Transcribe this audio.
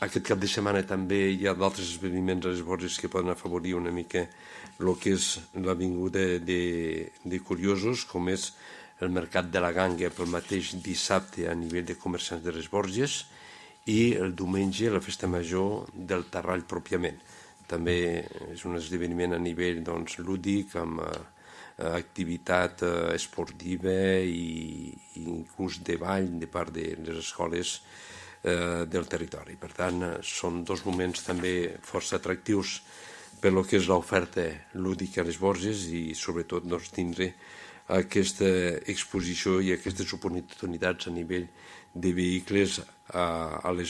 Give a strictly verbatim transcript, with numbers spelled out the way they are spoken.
aquest cap de setmana també hi ha d'altres esdeveniments a les Borges que poden afavorir una mica el que és l'avinguda de, de curiosos, com és el Mercat de la Ganga pel mateix dissabte a nivell de comerciants de les Borges i el diumenge la festa major del Tarrall pròpiament. També és un esdeveniment a nivell doncs, lúdic, amb eh, activitat eh, esportiva i, i inclús de ball de part de les escoles eh, del territori. Per tant, són dos moments també força atractius per lo que és l'oferta lúdica a les Borges i sobretot doncs, tindre aquesta exposició i aquestes oportunitats a nivell de vehicles a, a les